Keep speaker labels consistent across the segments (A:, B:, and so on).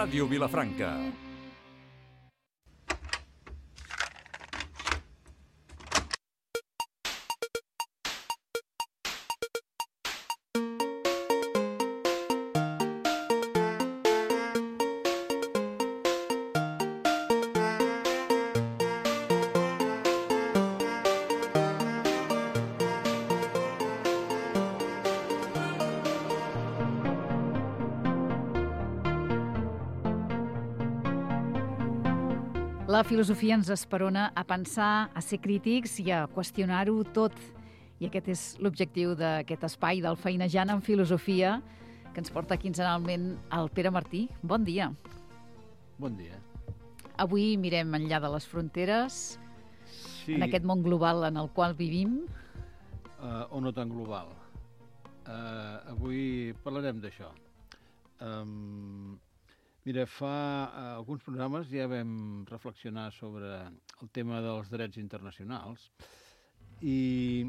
A: Ràdio Vilafranca.
B: La filosofia ens esperona a pensar, a ser crítics i a qüestionar-ho tot. I aquest és l'objectiu d'aquest espai del Feinejant en Filosofia, que ens porta quinzenalment el Pere Martí. Bon dia.
C: Bon dia.
B: Avui mirem enllà de les fronteres,
C: Sí,
B: en aquest món global en el qual vivim.
C: o no tan global. Avui parlarem d'això. Mira, fa alguns programes ja vam reflexionar sobre el tema dels drets internacionals i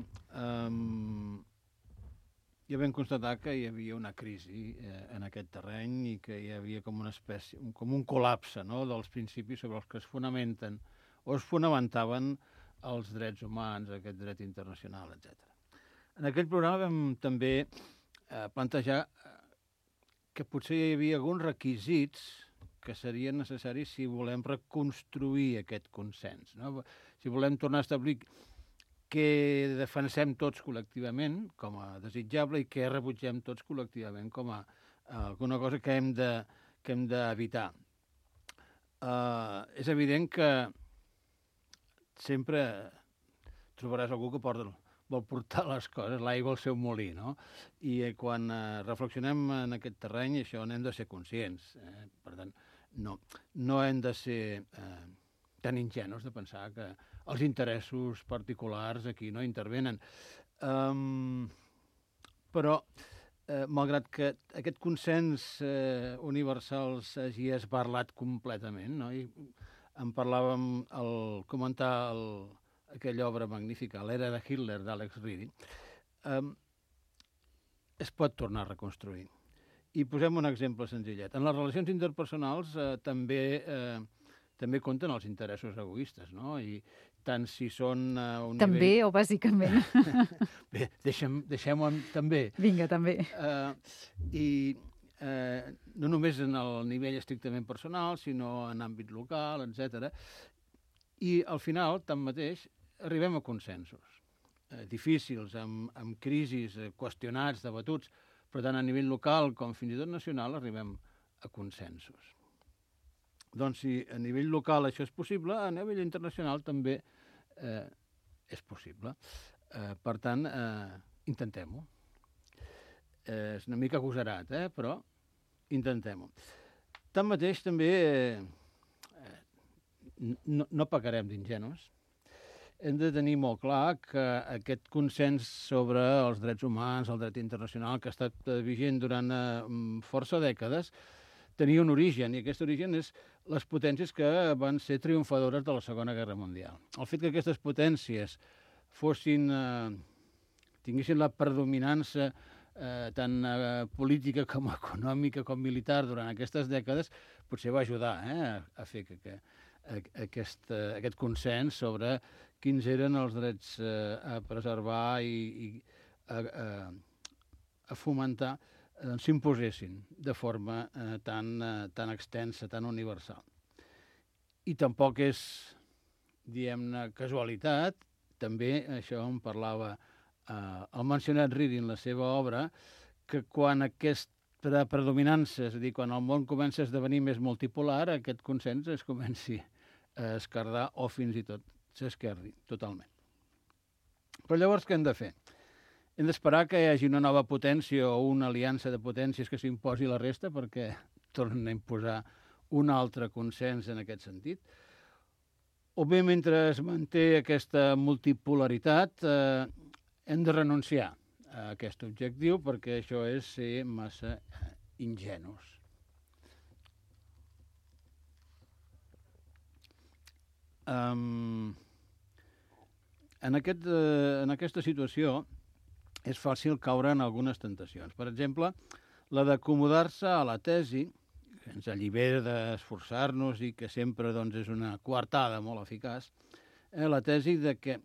C: ja vam constatar que hi havia una crisi en aquest terreny i que hi havia com una espècie, com un col·lapse, no?, dels principis sobre els que es fonamenten o es fonamentaven els drets humans, aquest dret internacional, etc. En aquell programa vam també plantejar que potser hi havia alguns requisits que serien necessaris si volem reconstruir aquest consens, no? Si volem tornar a establir què defensem tots col·lectivament com a desitjable i què rebutgem tots col·lectivament com a alguna cosa que hem d'evitar. És evident que sempre trobaràs algú que vol portar les coses, l'aigua al seu molí, no? I quan reflexionem en aquest terreny, això n'hem de ser conscients. Per tant, no hem de ser tan ingenus de pensar que els interessos particulars aquí no intervenen. Però, malgrat que aquest consens universal s'hagi esbarlat completament, no? I en parlàvem al comentar aquella obra magnífica, L'era de Hitler, d'Alex Reed, es pot tornar a reconstruir. I posem un exemple senzillet. En les relacions interpersonals també compten els interessos egoistes, no? I tant si són a un
B: També
C: nivell...
B: o bàsicament?
C: Bé, deixem-ho també.
B: Vinga, també.
C: No només en el nivell estrictament personal, sinó en àmbit local, etc. I al final, tanmateix, arribem a consensos difícils, amb crisis, qüestionats, debatuts, però tant a nivell local com fins i tot nacional arribem a consensos. Doncs si a nivell local això és possible, a nivell internacional també és possible. Per tant, intentem-ho. És una mica agosarat, però intentem-ho. Tanmateix, també no pecarem d'ingenus. Hem de tenir molt clar que aquest consens sobre els drets humans, el dret internacional, que ha estat vigent durant força dècades, tenia un origen, i aquest origen és les potències que van ser triomfadores de la Segona Guerra Mundial. El fet que aquestes potències tinguessin la predominança tant política com econòmica com militar durant aquestes dècades potser va ajudar a fer que aquest consens sobre quins eren els drets a preservar i a fomentar s'imposessin de forma tan extensa, tan universal. I tampoc és, diguem-ne, casualitat, també això en parlava el mencionat Reed en la seva obra, que quan aquesta predominança, és a dir, quan el món comença a esdevenir més multipolar, aquest consens es comenci a esquerdar o fins i tot s'esquerdi totalment. Però llavors què hem de fer? Hem d'esperar que hi hagi una nova potència o una aliança de potències que s'imposi la resta perquè tornen a imposar un altre consens en aquest sentit? O bé, mentre es manté aquesta multipolaritat, hem de renunciar a aquest objectiu perquè això és ser massa ingenus. En aquesta situació és fàcil caure en algunes tentacions. Per exemple, la d'acomodar-se a la tesi que ens allibera d'esforçar-nos i que sempre doncs, és una coartada molt eficaç, la tesi de que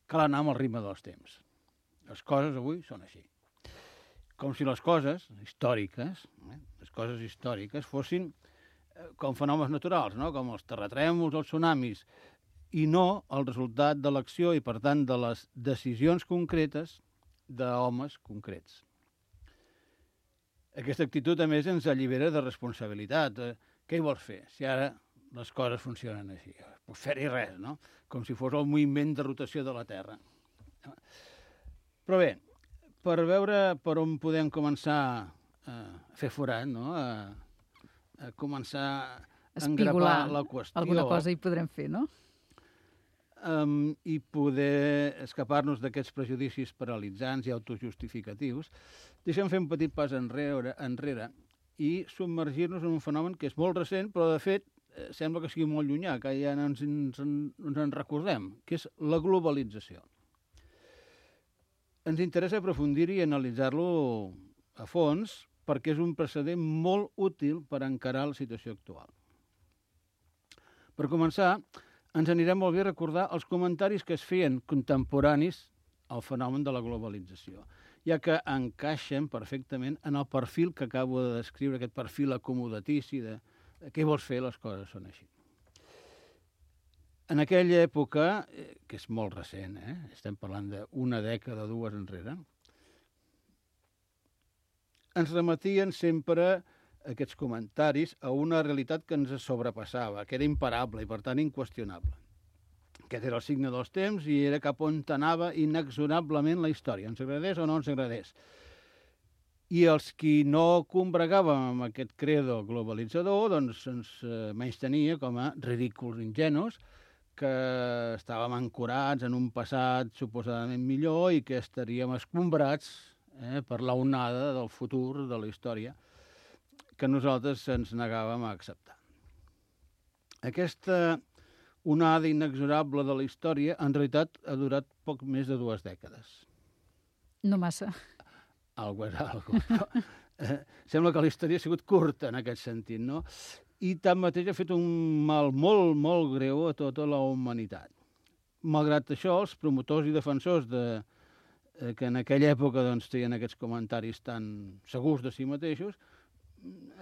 C: cal anar amb el ritme dels temps. Les coses avui són així. Com si les coses històriques fossin com fenòmens naturals, no? Com els terratrèmols, els tsunamis, i no el resultat de l'acció i, per tant, de les decisions concretes d'homes concrets. Aquesta actitud, a més, ens allibera de responsabilitat. Què hi vols fer si ara les coses funcionen així? Pues fer-hi res, no? Com si fos el moviment de rotació de la Terra. Però bé, per veure per on podem començar a fer forat, no? A començar a engrapar la qüestió.
B: Alguna cosa hi podrem fer, no?
C: I poder escapar-nos d'aquests prejudicis paralitzants i autojustificatius, deixem fer un petit pas enrere i submergir-nos en un fenomen que és molt recent, però de fet sembla que sigui molt llunyà, que ja no ens en recordem, que és la globalització. Ens interessa aprofundir-hi i analitzar-lo a fons perquè és un precedent molt útil per encarar la situació actual. Per començar, ens anirà molt bé recordar els comentaris que es feien contemporanis al fenomen de la globalització, ja que encaixen perfectament en el perfil que acabo de descriure, aquest perfil acomodatici de què vols fer, les coses són així. En aquella època, que és molt recent, estem parlant d'una dècada o dues enrere, ens remetien sempre aquests comentaris a una realitat que ens sobrepassava, que era imparable i, per tant, inqüestionable. Aquest era el signe dels temps i era cap on anava inexorablement la història, ens agradés o no ens agradés. I els qui no combregàvem amb aquest credo globalitzador, doncs ens menystenia com a ridículs ingenus, que estàvem ancorats en un passat suposadament millor i que estaríem escombrats per la onada del futur de la història que nosaltres ens negàvem a acceptar. Aquesta onada inexorable de la història en realitat ha durat poc més de 2 dècades.
B: No massa.
C: Algo és algo. Sembla que la història ha sigut curta en aquest sentit, no? I tanmateix ha fet un mal molt, molt greu a tota la humanitat. Malgrat això, els promotors i defensors que en aquella època doncs, feien aquests comentaris tan segurs de si mateixos,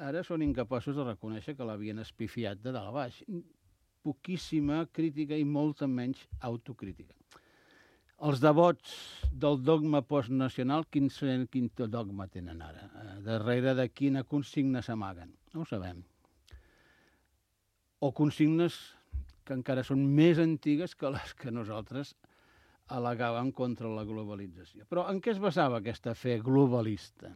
C: ara són incapaços de reconèixer que l'havien espifiat de dalt a baix. Poquíssima crítica i molta menys autocrítica. Els devots del dogma postnacional, quin dogma tenen ara? Darrere de quina consigna s'amaguen? No ho sabem. O consignes que encara són més antigues que les que nosaltres al·legàvem contra la globalització. Però en què es basava aquesta fe globalista?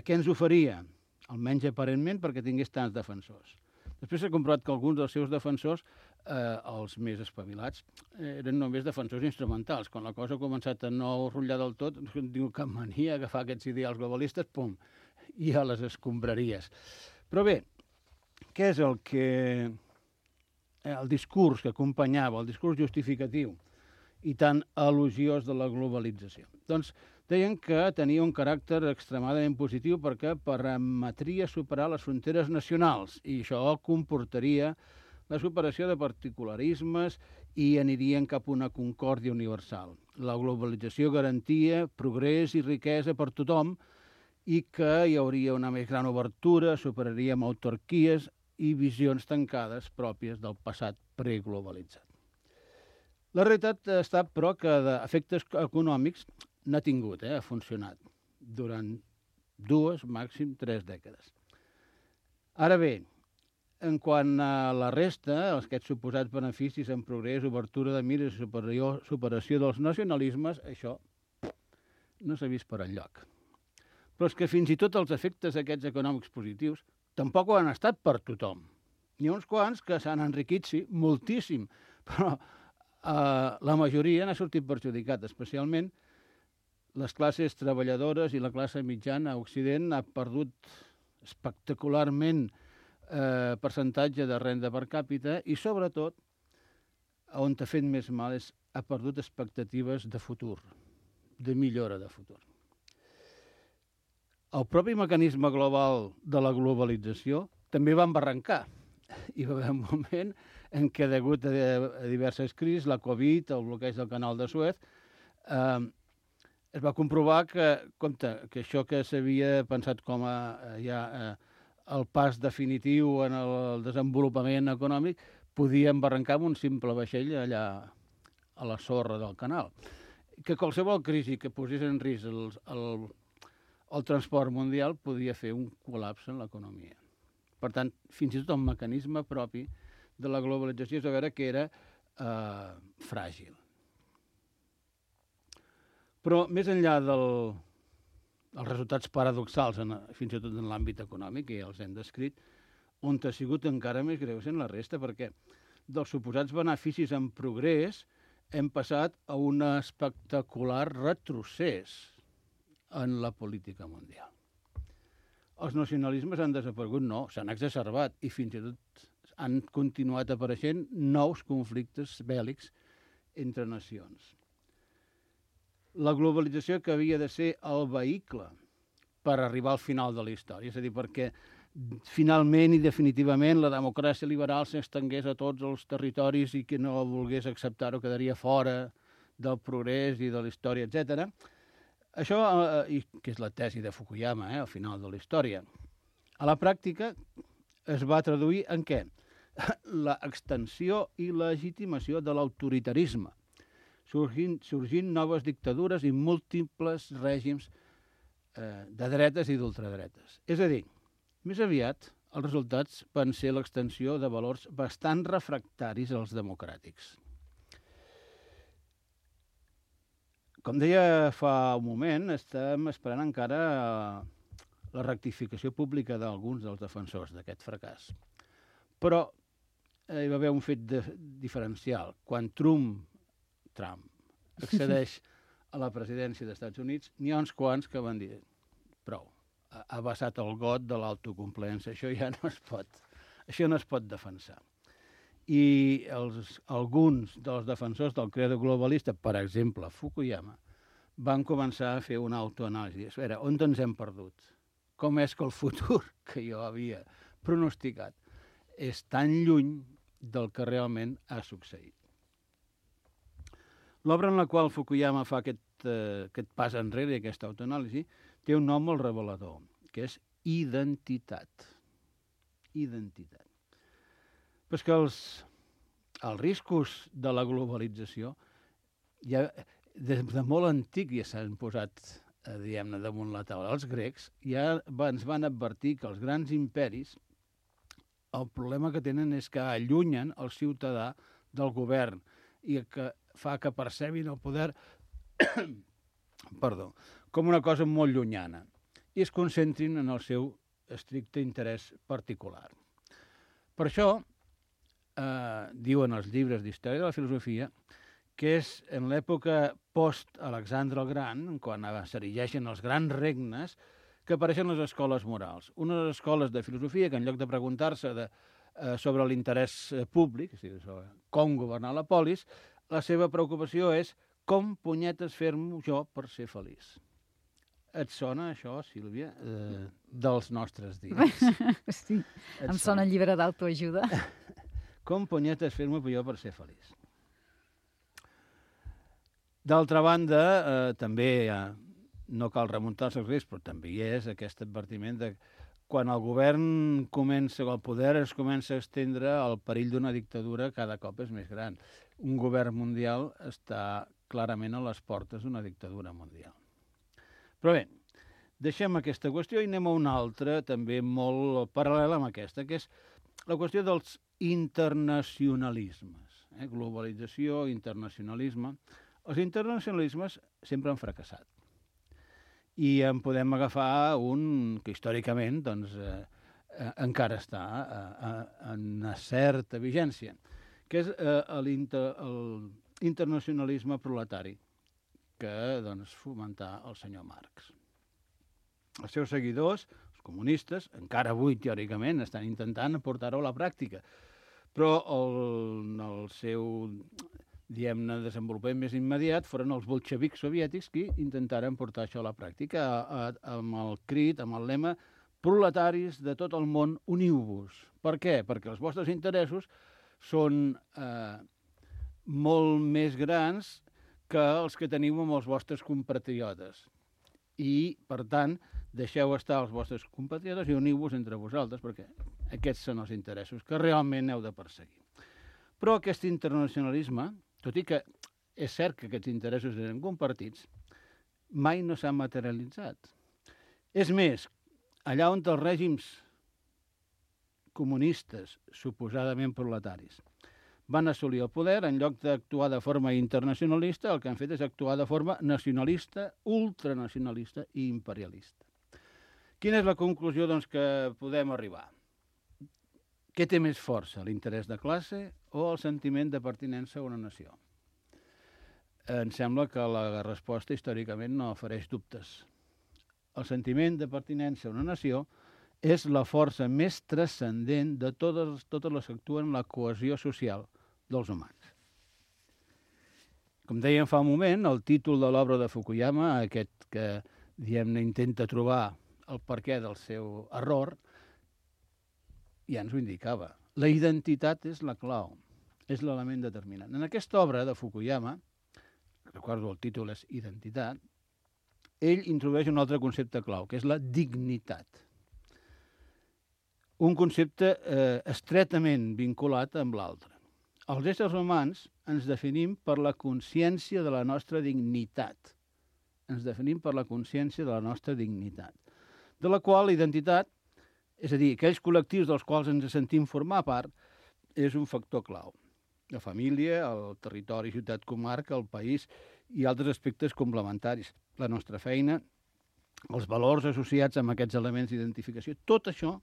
C: Què ens oferia? Almenys aparentment perquè tingués tants defensors. Després s'ha comprovat que alguns dels seus defensors, els més espavilats, eren només defensors instrumentals. Quan la cosa ha començat a no rotllar del tot, no tinc cap mania a agafar aquests ideals globalistes, pum, i a les escombraries. Però bé, què és el discurs que acompanyava, el discurs justificatiu i tan elogiós de la globalització? Doncs deien que tenia un caràcter extremadament positiu perquè permetria superar les fronteres nacionals i això comportaria la superació de particularismes i anirien cap a una concòrdia universal. La globalització garantia progrés i riquesa per tothom i que hi hauria una més gran obertura, superaríem autarquies i visions tancades pròpies del passat preglobalitzat. La realitat ha estat, però, que d'efectes econòmics n'ha tingut, ha funcionat durant 2, màxim 3 dècades. Ara bé, en quant a la resta, aquests suposats beneficis en progrés, obertura de mires i superació dels nacionalismes, això no s'ha vist per enlloc. Però és que fins i tot els efectes aquests econòmics positius tampoc ho han estat per tothom. N'hi ha uns quants que s'han enriquit, sí, moltíssim, però la majoria n'ha sortit perjudicat, especialment les classes treballadores i la classe mitjana a Occident ha perdut espectacularment percentatge de renda per càpita i, sobretot, on t'ha fet més mal és ha perdut expectatives de futur, de millora de futur. El propi mecanisme global de la globalització també van barrancar. Hi va haver un moment en què, degut a diverses crisis, la Covid, el bloqueig del canal de Suez, es va comprovar que, que això que s'havia pensat com el pas definitiu en el desenvolupament econòmic podia embarrancar amb un simple vaixell allà a la sorra del canal. Que qualsevol crisi que posés en risc el transport mundial podia fer un col·lapse en l'economia. Per tant, fins i tot el mecanisme propi de la globalització és a veure que era fràgil. Però més enllà dels resultats paradoxals, fins i tot en l'àmbit econòmic, que ja els hem descrit, on ha sigut encara més greu sent la resta, perquè dels suposats beneficis en progrés hem passat a un espectacular retrocés en la política mundial. Els nacionalismes han desaparegut? No, s'han exacerbat i fins i tot han continuat apareixent nous conflictes bèl·lics entre nacions. La globalització que havia de ser el vehicle per arribar al final de la història, és a dir, perquè finalment i definitivament la democràcia liberal s'estengués a tots els territoris i que no volgués acceptar-ho quedaria fora del progrés i de la història, etc. Això, que és la tesi de Fukuyama, al final de la història, a la pràctica es va traduir en què? L'extensió i legitimació de l'autoritarisme, sorgint noves dictadures i múltiples règims de dretes i d'ultradretes. És a dir, més aviat els resultats van ser l'extensió de valors bastant refractaris als democràtics. Com deia fa un moment, estem esperant encara la rectificació pública d'alguns dels defensors d'aquest fracàs. Però hi va haver un fet diferencial. Quan Trump accedeix a la presidència dels Estats Units, n'hi ha uns quants que van dir prou, ha vessat el got de l'autocomplaença, això ja no es pot defensar. I alguns dels defensors del credo globalista, per exemple Fukuyama, van començar a fer una autoanàlisi. A veure, on ens hem perdut? Com és que el futur que jo havia pronosticat és tan lluny del que realment ha succeït? L'obra en la qual Fukuyama fa aquest pas enrere, aquesta autoanàlisi, té un nom molt revelador, que és identitat. Identitat. Però és que els riscos de la globalització ja des de molt antic ja s'han posat, diguem-ne, damunt la taula. Els grecs ja ens van advertir que els grans imperis el problema que tenen és que allunyen el ciutadà del govern i que fa que percebin el poder com una cosa molt llunyana i es concentrin en el seu estricte interès particular. Per això, diuen els llibres d'història de la filosofia, que és en l'època post-Alexandre el Gran, quan s'erigeixen els grans regnes, que apareixen les escoles morals. Unes escoles de filosofia que en lloc de preguntar-se sobre l'interès públic, és a dir, sobre com governar la polis, la seva preocupació és com punyetes fer-m'ho jo per ser feliç. Et sona això, Sílvia, dels nostres dies?
B: Sí, em sona llibre d'autoajuda.
C: Com punyetes fer-m'ho jo per ser feliç. D'altra banda, també no cal remuntar-se als grecs, però també hi és aquest advertiment de quan el govern comença, el poder es comença a estendre, el perill d'una dictadura cada cop és més gran. Un govern mundial està clarament a les portes d'una dictadura mundial. Però bé, deixem aquesta qüestió i anem a una altra, també molt paral·lela amb aquesta, que és la qüestió dels internacionalismes. Globalització, internacionalisme. Els internacionalismes sempre han fracassat. I en podem agafar un que històricament encara està en una certa vigència, que és l'internacionalisme proletari que fomentà el senyor Marx. Els seus seguidors, els comunistes, encara avui teòricament estan intentant portar-ho a la pràctica, però el seu diguem-ne, desenvolupament més immediat foren els bolxevics soviètics que intentaren portar això a la pràctica amb el crit, amb el lema proletaris de tot el món, uniu-vos. Per què? Perquè els vostres interessos són molt més grans que els que teniu amb els vostres compatriotes. I, per tant, deixeu estar els vostres compatriotes i uniu-vos entre vosaltres, perquè aquests són els interessos que realment heu de perseguir. Però aquest internacionalisme, tot i que és cert que aquests interessos eren compartits, mai no s'han materialitzat. És més, allà on els règims comunistes, suposadament proletaris, van assolir el poder, en lloc d'actuar de forma internacionalista, el que han fet és actuar de forma nacionalista, ultranacionalista i imperialista. Quina és la conclusió doncs, que podem arribar? Què té més força, l'interès de classe o el sentiment de pertinença a una nació? Em sembla que la resposta històricament no ofereix dubtes. El sentiment de pertinença a una nació és la força més transcendent de totes les que actuen la cohesió social dels humans. Com dèiem fa un moment, el títol de l'obra de Fukuyama, aquest que diguem-ne intenta trobar el perquè del seu error, ja ens ho indicava. La identitat és la clau, és l'element determinant. En aquesta obra de Fukuyama, recordo el títol és Identitat, ell introdueix un altre concepte clau, que és la dignitat. Un concepte estretament vinculat amb l'altre. Els éssers humans ens definim per la consciència de la nostra dignitat. Ens definim per la consciència de la nostra dignitat. De la qual la identitat, és a dir, aquells col·lectius dels quals ens sentim formar part, és un factor clau. La família, el territori, ciutat, comarca, el país i altres aspectes complementaris. La nostra feina, els valors associats amb aquests elements d'identificació, tot això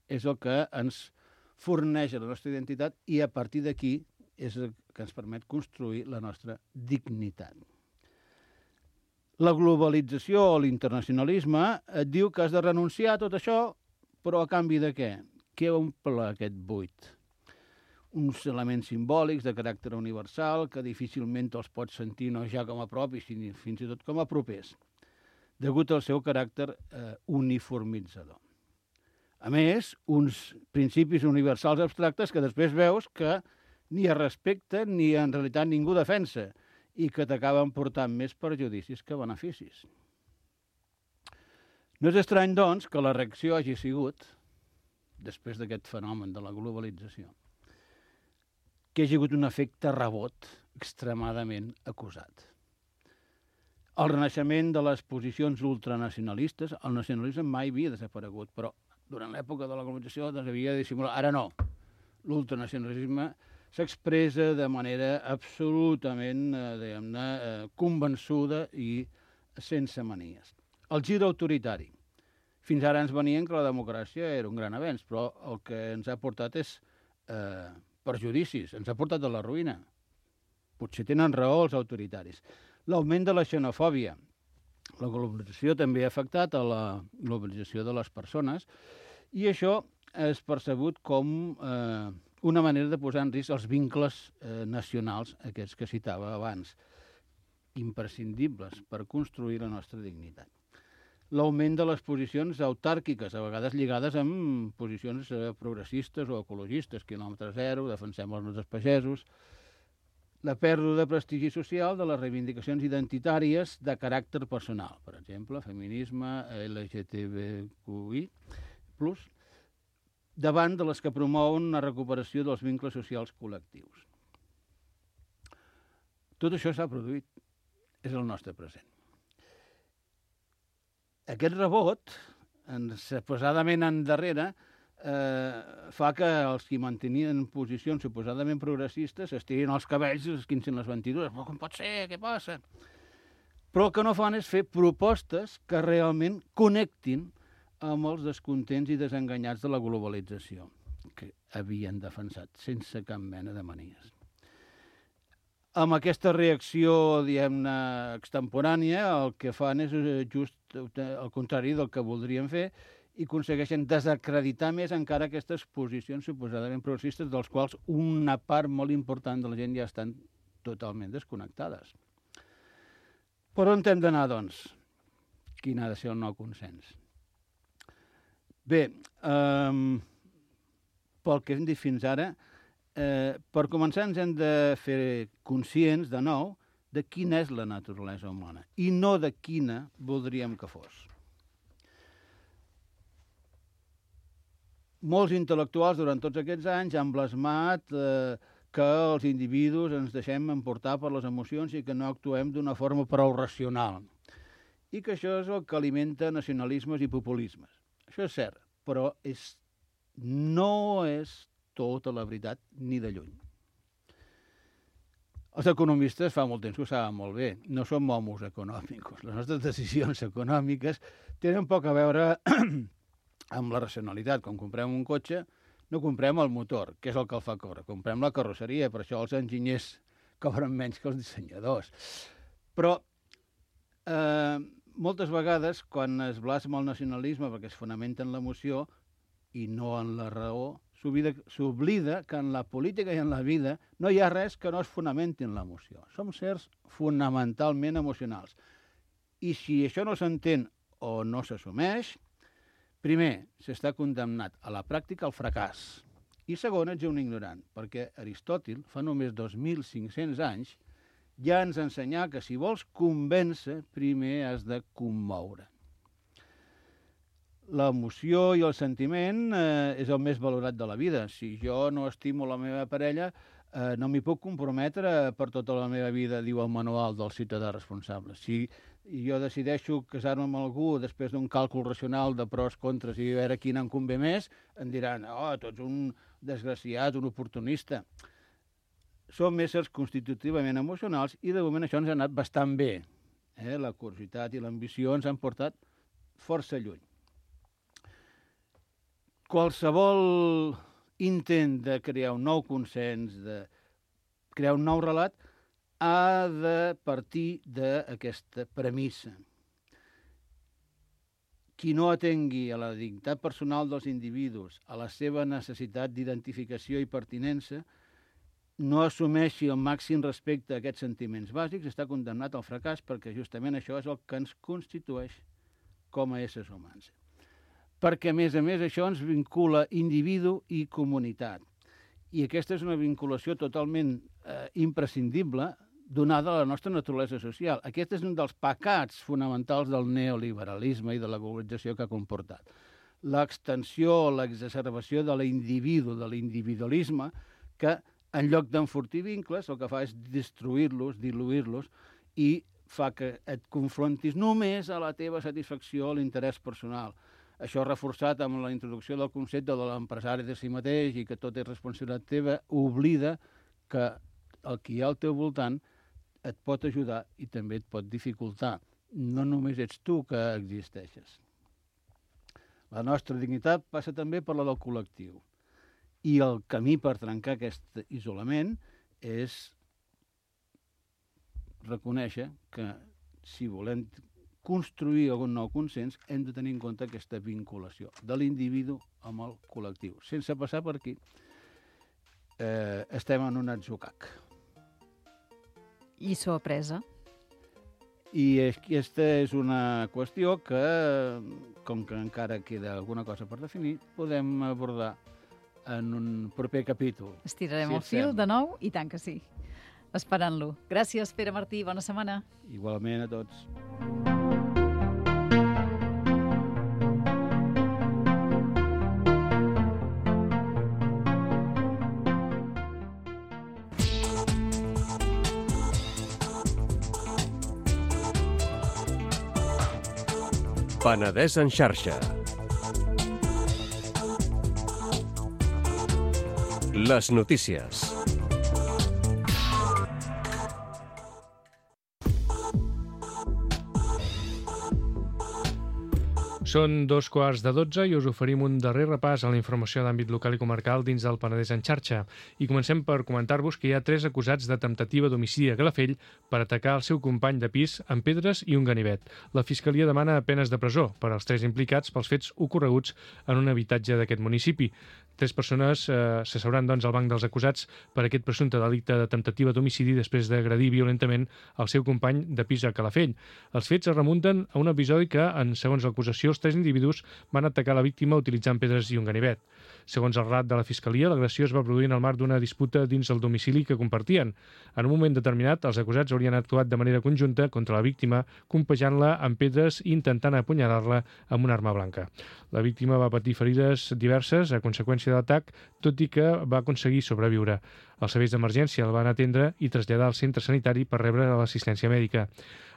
C: és el que ens forneix la nostra identitat i a partir d'aquí és el que ens permet construir la nostra dignitat. La globalització o l'internacionalisme et diu que has de renunciar a tot això, però a canvi de què? Què omple aquest buit? Uns elements simbòlics de caràcter universal que difícilment els pots sentir no ja com a propis, sinó fins i tot com a propers, degut al seu caràcter uniformitzador. A més, uns principis universals abstractes que després veus que ni es respecten ni en realitat ningú defensa i que t'acaben portant més perjudicis que beneficis. No és estrany, doncs, que la reacció hagi sigut, després d'aquest fenomen de la globalització, que hi ha hagut un efecte rebot extremadament acusat. El renaixement de les posicions ultranacionalistes, el nacionalisme mai havia desaparegut, però durant l'època de la globalització havia de dissimular. Ara no. L'ultranacionalisme s'expressa de manera absolutament convençuda i sense manies. El gir autoritari. Fins ara ens venien que la democràcia era un gran avenç, però el que ens ha portat és perjudicis, ens ha portat a la ruïna. Potser tenen raó els autoritaris. L'augment de la xenofòbia. La globalització també ha afectat a la globalització de les persones i això és percebut com una manera de posar en risc els vincles nacionals, aquests que citava abans, imprescindibles per construir la nostra dignitat. L'augment de les posicions autàrquiques, a vegades lligades amb posicions progressistes o ecologistes, quilòmetre zero, defensem els nostres pagesos, la pèrdua de prestigi social de les reivindicacions identitàries de caràcter personal, per exemple, feminisme, LGTBQI+, davant de les que promouen una recuperació dels vincles socials col·lectius. Tot això s'ha produït, és el nostre present. Aquest rebot, suposadament endarrere, fa que els que mantenien posicions suposadament progressistes estirin els cabells i esquincin les ventidures. Però com pot ser? Què passa? Però el que no fan és fer propostes que realment connectin amb els descontents i desenganyats de la globalització, que havien defensat sense cap mena de manies. Amb aquesta reacció, diguem-ne, extemporània, el que fan és just el contrari del que voldrien fer i aconsegueixen desacreditar més encara aquestes posicions suposadament progressistes, dels quals una part molt important de la gent ja estan totalment desconnectades. Per on hem d'anar, doncs? Quin ha de ser el nou consens? Bé, pel que hem dit fins ara, per començar ens hem de fer conscients, de nou, de quina és la naturalesa humana i no de quina voldríem que fos. Molts intel·lectuals durant tots aquests anys han blasmat que els individus ens deixem emportar per les emocions i que no actuem d'una forma prou racional. I que això és el que alimenta nacionalismes i populismes. Això és cert, però no és tota la veritat ni de lluny. Els economistes fa molt temps que ho saben molt bé. No som homos econòmicos. Les nostres decisions econòmiques tenen poc a veure amb la racionalitat. Quan comprem un cotxe, no comprem el motor, que és el que el fa córrer. Comprem la carrosseria, per això els enginyers cobren menys que els dissenyadors. Però moltes vegades, quan es blasma el nacionalisme perquè es fonamenta en l'emoció i no en la raó, s'oblida que en la política i en la vida no hi ha res que no es fonamenti en l'emoció. Som sers fonamentalment emocionals. I si això no s'entén o no s'assumeix, primer, s'està condemnat a la pràctica al fracàs. I segon, ets un ignorant, perquè Aristòtil, fa només 2.500 anys, ja ens ensenyà que si vols convèncer, primer has de commoure. L'emoció i el sentiment és el més valorat de la vida. Si jo no estimo la meva parella, no m'hi puc comprometre per tota la meva vida, diu el manual del ciutadà responsable. Si jo decideixo casar-me amb algú després d'un càlcul racional de pros, contres i a veure quin em convé més, em diran, tu ets un desgraciat, un oportunista. Som éssers constitutivament emocionals i de moment això ens ha anat bastant bé. La curiositat i l'ambició ens han portat força lluny. Qualsevol intent de crear un nou consens, de crear un nou relat, ha de partir d'aquesta premissa. Qui no atengui a la dignitat personal dels individus, a la seva necessitat d'identificació i pertinença, no assumeixi el màxim respecte a aquests sentiments bàsics, està condemnat al fracàs perquè justament això és el que ens constitueix com a éssers humans. Perquè, a més, això ens vincula individu i comunitat. I aquesta és una vinculació totalment imprescindible donada la nostra naturalesa social. Aquest és un dels pecats fonamentals del neoliberalisme i de la globalització que ha comportat. L'extensió, l'exacerbació de l'individu, de l'individualisme, que en lloc d'enfortir vincles, el que fa és destruir-los, diluir-los, i fa que et confrontis només a la teva satisfacció, a l'interès personal. Això reforçat amb la introducció del concepte de l'empresari de si mateix i que tot és responsabilitat teva, oblida que el que hi ha al teu voltant et pot ajudar i també et pot dificultar. No només ets tu que existeixes. La nostra dignitat passa també per la del col·lectiu. I el camí per trencar aquest isolament és reconèixer que si volem construir algun nou consens hem de tenir en compte aquesta vinculació de l'individu amb el col·lectiu. Sense passar per aquí, estem en un atzucac.
B: Lliçó apresa.
C: I aquesta és una qüestió que, com que encara queda alguna cosa per definir, podem abordar en un proper capítol.
B: Estirarem el fil de nou i tant que sí. Esperant-lo. Gràcies, Pere Martí. Bona setmana.
C: Igualment a tots.
A: Penedès en xarxa. Les notícies.
D: Són 2:15 i us oferim un darrer repàs a la informació d'àmbit local i comarcal dins del Penedès en xarxa. I comencem per comentar-vos que hi ha 3 acusats de temptativa d'homicidi a Calafell per atacar el seu company de pis amb pedres i un ganivet. La Fiscalia demana penes de presó per als 3 implicats pels fets ocorreguts en un habitatge d'aquest municipi. 3 persones s'asseuran al banc dels acusats per aquest presumpte delicte de temptativa d'homicidi després d'agredir violentament el seu company de pis a Calafell. Els fets es remunten a un episodi que, segons l'acusació, els 3 individus van atacar la víctima utilitzant pedres i un ganivet. Segons el relat de la Fiscalia, l'agressió es va produir en el marc d'una disputa dins el domicili que compartien. En un moment determinat, els acusats haurien actuat de manera conjunta contra la víctima, colpejant-la amb pedres i intentant apunyalar-la amb una arma blanca. La víctima va patir ferides diverses a conseqüència de l'atac, tot i que va aconseguir sobreviure. Els serveis d'emergència el van atendre i traslladar al centre sanitari per rebre l'assistència mèdica.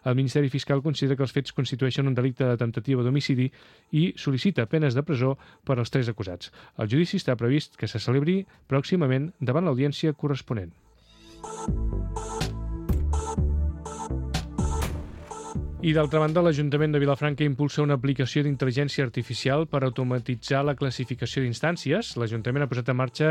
D: El Ministeri Fiscal considera que els fets constitueixen un delicte de temptativa d'homicidi i sol·licita penes de presó per als 3 acusats. El judici està previst que se celebri pròximament davant l'audiència corresponent. I d'altra banda, l'Ajuntament de Vilafranca impulsa una aplicació d'intel·ligència artificial per automatitzar la classificació d'instàncies. L'Ajuntament ha posat en marxa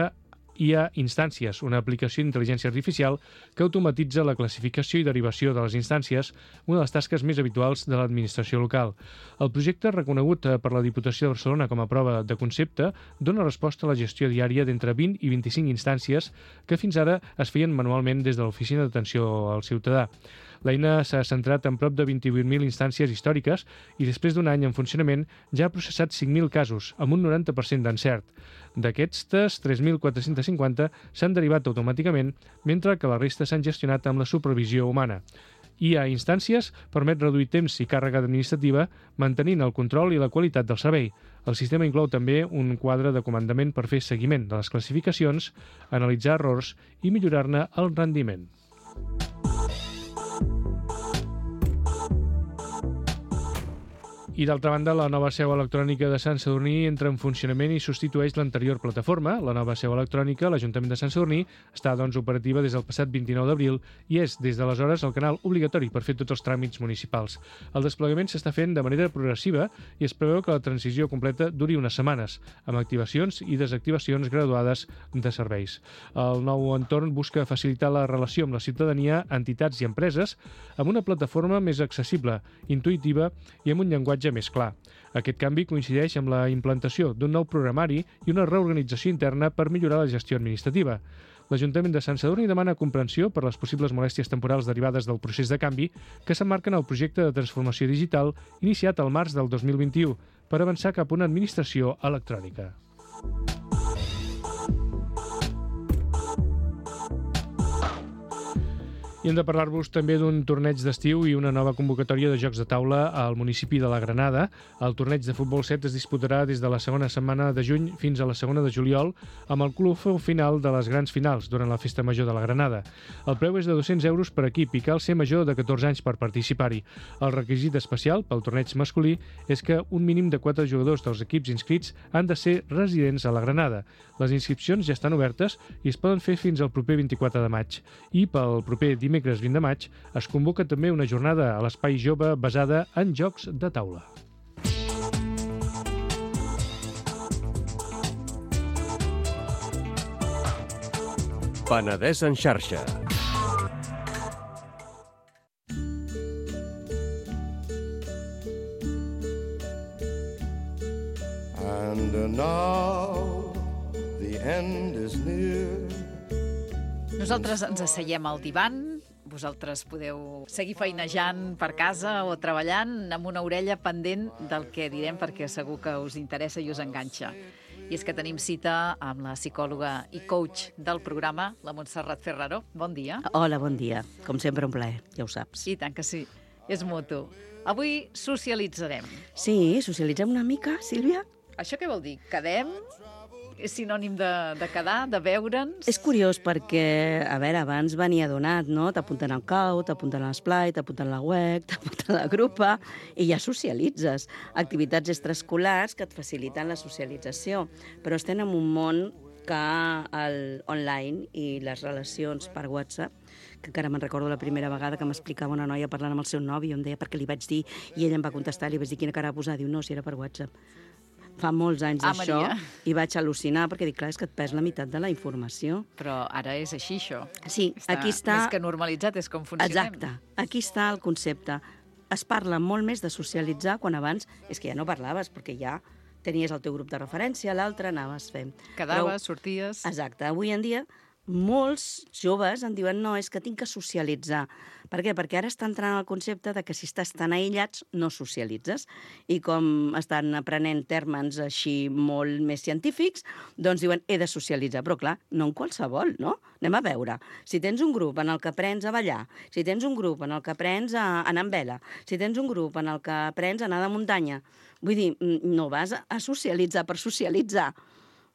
D: IA Instàncies, una aplicació d'intel·ligència artificial que automatitza la classificació i derivació de les instàncies, una de les tasques més habituals de l'administració local. El projecte, reconegut per la Diputació de Barcelona com a prova de concepte, dona resposta a la gestió diària d'entre 20 i 25 instàncies que fins ara es feien manualment des de l'Oficina d'Atenció al Ciutadà. L'eina s'ha centrat en prop de 28.000 instàncies històriques i després d'un any en funcionament ja ha processat 5.000 casos, amb un 90% d'encert. D'aquestes, 3.450 s'han derivat automàticament, mentre que la resta s'han gestionat amb la supervisió humana. IA Instàncies permet reduir temps i càrrega administrativa, mantenint el control i la qualitat del servei. El sistema inclou també un quadre de comandament per fer seguiment de les classificacions, analitzar errors i millorar-ne el rendiment. I d'altra banda, la nova seu electrònica de Sant Sadurní entra en funcionament i substitueix l'anterior plataforma. La nova seu electrònica, l'Ajuntament de Sant Sadurní, està operativa des del passat 29 d'abril i és des d'aleshores el canal obligatori per fer tots els tràmits municipals. El desplegament s'està fent de manera progressiva i es preveu que la transició completa duri unes setmanes, amb activacions i desactivacions graduades de serveis. El nou entorn busca facilitar la relació amb la ciutadania, entitats i empreses amb una plataforma més accessible, intuïtiva i amb un llenguatge més clar. Aquest canvi coincideix amb la implantació d'un nou programari i una reorganització interna per millorar la gestió administrativa. L'Ajuntament de Sant Sadurní demana comprensió per les possibles molèsties temporals derivades del procés de canvi que s'emmarquen al projecte de transformació digital iniciat al març del 2021 per avançar cap a una administració electrònica. I hem de parlar-vos també d'un torneig d'estiu i una nova convocatòria de jocs de taula al municipi de la Granada. El torneig de futbol 7 es disputarà des de la segona setmana de juny fins a la segona de juliol amb el club final de les grans finals durant la Festa Major de la Granada. El preu és de 200 euros per equip i cal ser major de 14 anys per participar-hi. El requisit especial pel torneig masculí és que un mínim de 4 jugadors dels equips inscrits han de ser residents a la Granada. Les inscripcions ja estan obertes i es poden fer fins al proper 24 de maig. I pel proper dimecres 20 de maig es convoca també una jornada a l'Espai Jove basada en jocs de taula.
A: Penedès en xarxa.
E: And now the end is near.
B: Nosaltres ens asseiem al divan, vosaltres podeu seguir feinejant per casa o treballant amb una orella pendent del que direm perquè segur que us interessa i us enganxa. I és que tenim cita amb la psicòloga i coach del programa, la Montserrat Ferraro. Bon dia.
F: Hola, bon dia. Com sempre, un plaer, ja ho saps.
B: I tant que sí, és mutu. Avui socialitzarem.
F: Sí, socialitzem una mica, Sílvia?
B: Això què vol dir? Quedem? És sinònim de quedar, de veure'ns?
F: És curiós perquè, a veure, abans venia donat, no? T'apunten al cau, t'apunten a l'esplai, t'apunten a la UEC, t'apunten a la grupa, i ja socialitzes. Activitats extraescolars que et faciliten la socialització. Però estem en un món que online i les relacions per WhatsApp, que encara me'n recordo la primera vegada que m'explicava una noia parlant amb el seu nòvio, em deia perquè li vaig dir, i ella em va contestar, li vaig dir quina cara va posar, diu no, si era per WhatsApp. Fa molts anys d'això i vaig al·lucinar perquè dic, clar, és que et perds la meitat de la informació.
B: Però ara és així, això.
F: Sí, aquí està...
B: Més que normalitzat, és com funcionem.
F: Exacte, aquí està el concepte. Es parla molt més de socialitzar quan abans és que ja no parlaves, perquè ja tenies el teu grup de referència, l'altre anaves fent.
B: Quedaves, sorties...
F: Exacte. Avui en dia, molts joves em diuen no, és que tinc que socialitzar. Per què? Perquè ara està entrant el concepte de que si estàs tan aïllats, no socialitzes. I com estan aprenent termes així molt més científics, doncs diuen he de socialitzar. Però clar, no en qualsevol, no? Anem a veure. Si tens un grup en el que aprens a ballar, si tens un grup en el que aprens a anar amb vela, si tens un grup en el que aprens a anar de muntanya, vull dir, no vas a socialitzar per socialitzar.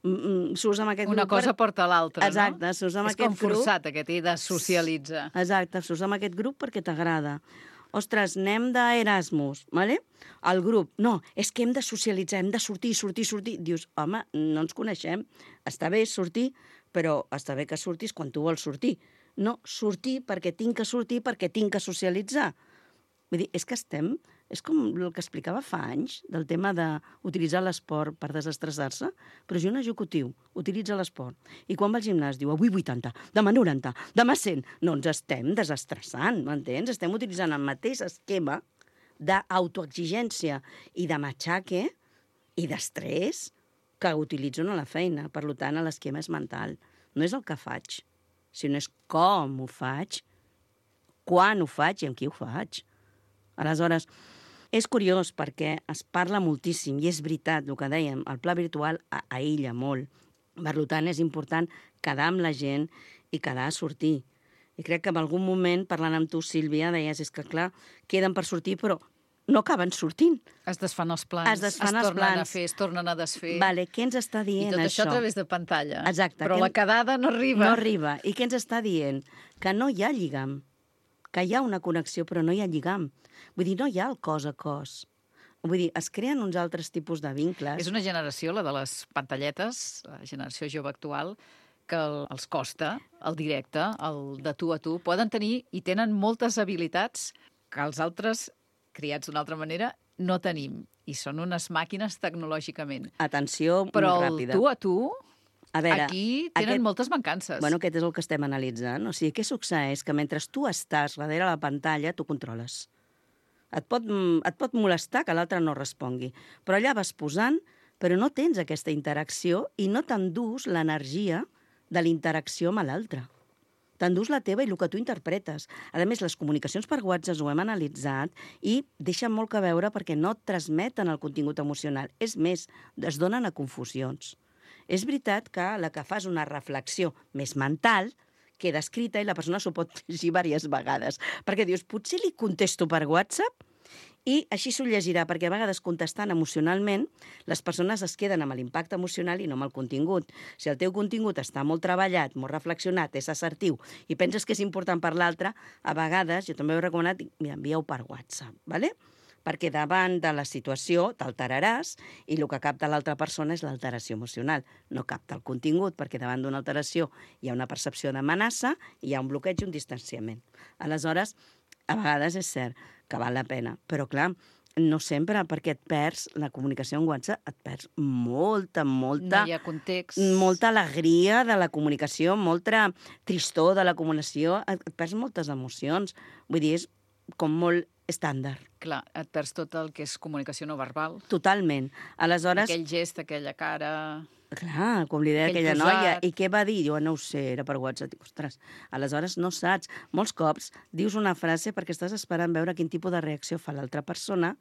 F: S'usa amb aquest
B: Una
F: grup
B: cosa porta a l'altra,
F: Exacte,
B: no?
F: s'usa amb
B: És
F: aquest
B: com
F: grup.
B: forçat, aquest he de socialitzar.
F: Exacte, s'usa amb aquest grup perquè t'agrada. Ostres, anem d'Erasmus, ¿vale? El grup, no, és que hem de socialitzar, hem de sortir. Dius, home, no ens coneixem. Està bé sortir, però està bé que surtis quan tu vols sortir. No, sortir perquè tinc que sortir, perquè tinc que socialitzar. Vull dir, és que és com el que explicava fa anys, del tema d'utilitzar l'esport per desestressar-se, però jo un executiu utilitza l'esport. I quan va al gimnàs diu, avui 80, demà 90, demà 100. No ens estem desestressant, m'entens? Estem utilitzant el mateix esquema d'autoexigència i de matxaque i d'estrès que utilitzo a la feina. Per tant, l'esquema és mental. No és el que faig, sinó és com ho faig, quan ho faig i amb qui ho faig. Aleshores, és curiós perquè es parla moltíssim, i és veritat, el que dèiem, el pla virtual aïlla molt. Per tant, és important quedar amb la gent i quedar a sortir. I crec que en algun moment, parlant amb tu, Sílvia, deies, és que clar, queden per sortir, però no acaben sortint.
B: Es desfan els plans,
F: es tornen
B: a fer, es tornen a desfer.
F: Vale, què ens està dient
B: això? I tot això
F: això
B: a través de pantalla.
F: Exacte.
B: Però la quedada no arriba.
F: No arriba. I què ens està dient? Que no hi ha lligam. Que hi ha una connexió, però no hi ha lligam. Vull dir, no hi ha el cos a cos. Vull dir, es creen uns altres tipus de vincles.
B: És una generació, la de les pantalletes, la generació jove actual, que els costa el directe, el de tu a tu. Poden tenir i tenen moltes habilitats que els altres, criats d'una altra manera, no tenim. I són unes màquines tecnològicament.
F: Atenció,
B: però
F: molt ràpida.
B: Però el tu a tu...
F: A veure,
B: aquí tenen moltes mancances.
F: Bueno, aquest és el que estem analitzant. O sigui, què succeeix? Que mentre tu estàs darrere la pantalla, tu controles. Et pot molestar que l'altre no respongui. Però allà vas posant, però no tens aquesta interacció i no t'endús l'energia de l'interacció amb l'altre. T'endús la teva i el que tu interpretes. A més, les comunicacions per WhatsApp ho hem analitzat i deixen molt que veure perquè no transmeten el contingut emocional. És més, es donen a confusions. És veritat que la que fas una reflexió més mental queda escrita i la persona s'ho pot llegir diverses vegades. Perquè dius, potser li contesto per WhatsApp i així s'ho llegirà, perquè a vegades contestant emocionalment les persones es queden amb l'impacte emocional i no amb el contingut. Si el teu contingut està molt treballat, molt reflexionat, és assertiu i penses que és important per l'altre, a vegades, jo també ho he recomanat, mira, envia-ho per WhatsApp, ¿vale? Perquè davant de la situació t'alteraràs i el que capta l'altra persona és l'alteració emocional. No capta el contingut, perquè davant d'una alteració hi ha una percepció d'amenaça i hi ha un bloqueig i un distanciament. Aleshores, a vegades és cert que val la pena, però clar, no sempre, perquè et perds la comunicació en WhatsApp, et perds molta...
B: No hi ha context.
F: Molta alegria de la comunicació, molta tristor de la comunicació, et perds moltes emocions. Vull dir, és com molt estàndard.
B: Clar, et perds tot el que és comunicació no verbal.
F: Totalment. Aleshores...
B: Aquell gest, aquella cara...
F: Clar, com li deia aquella noia. I què va dir? Jo no ho sé, era per WhatsApp. Dic, ostres, aleshores no saps. Molts cops dius una frase perquè estàs esperant veure quin tipus de reacció fa l'altra persona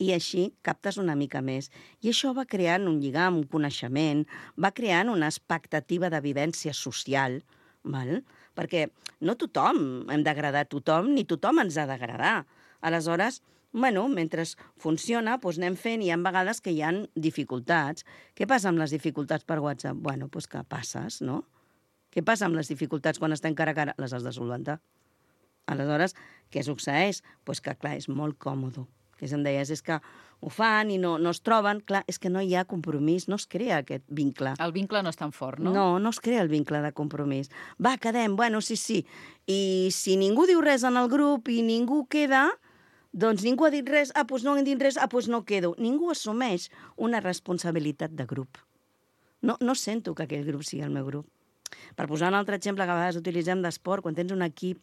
F: i així captes una mica més. I això va creant un lligam, un coneixement, va creant una expectativa de vivència social, val? Perquè no tothom hem d'agradar a tothom, ni tothom ens ha d'agradar. Aleshores, bueno, mentre funciona, doncs anem fent, i hi ha vegades que hi ha dificultats. Què passa amb les dificultats per WhatsApp? Bueno, doncs que passes, no? Què passa amb les dificultats quan estem cara a cara? Les has de solventar. Aleshores, què succeeix? Doncs que, clar, és molt còmode. Que em deies, és que ho fan i no es troben. Clar, és que no hi ha compromís, no es crea aquest vincle.
B: El vincle no és tan fort, no?
F: No es crea el vincle de compromís. Va, quedem, bueno, sí. I si ningú diu res en el grup i ningú queda, doncs ningú ha dit res, doncs no han dit res, doncs no quedo. Ningú assumeix una responsabilitat de grup. No sento que aquell grup sigui el meu grup. Per posar un altre exemple que a vegades utilitzem d'esport, quan tens un equip,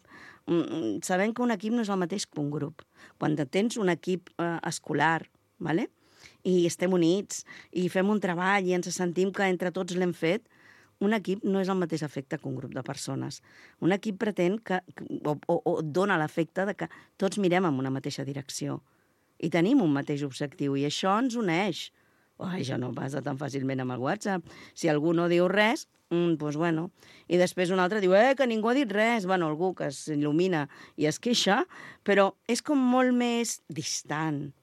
F: sabem que un equip no és el mateix que un grup. Quan tens un equip escolar, ¿vale? i estem units, i fem un treball i ens sentim que entre tots l'hem fet, un equip no és el mateix efecte que un grup de persones. Un equip pretén o dona l'efecte de que tots mirem en una mateixa direcció i tenim un mateix objectiu, i això ens uneix. Això no passa tan fàcilment amb el WhatsApp. Si algú no diu res, doncs bueno. I després un altre diu, que ningú ha dit res. Bueno, algú que s'il·lumina i es queixa, però és com molt més distant.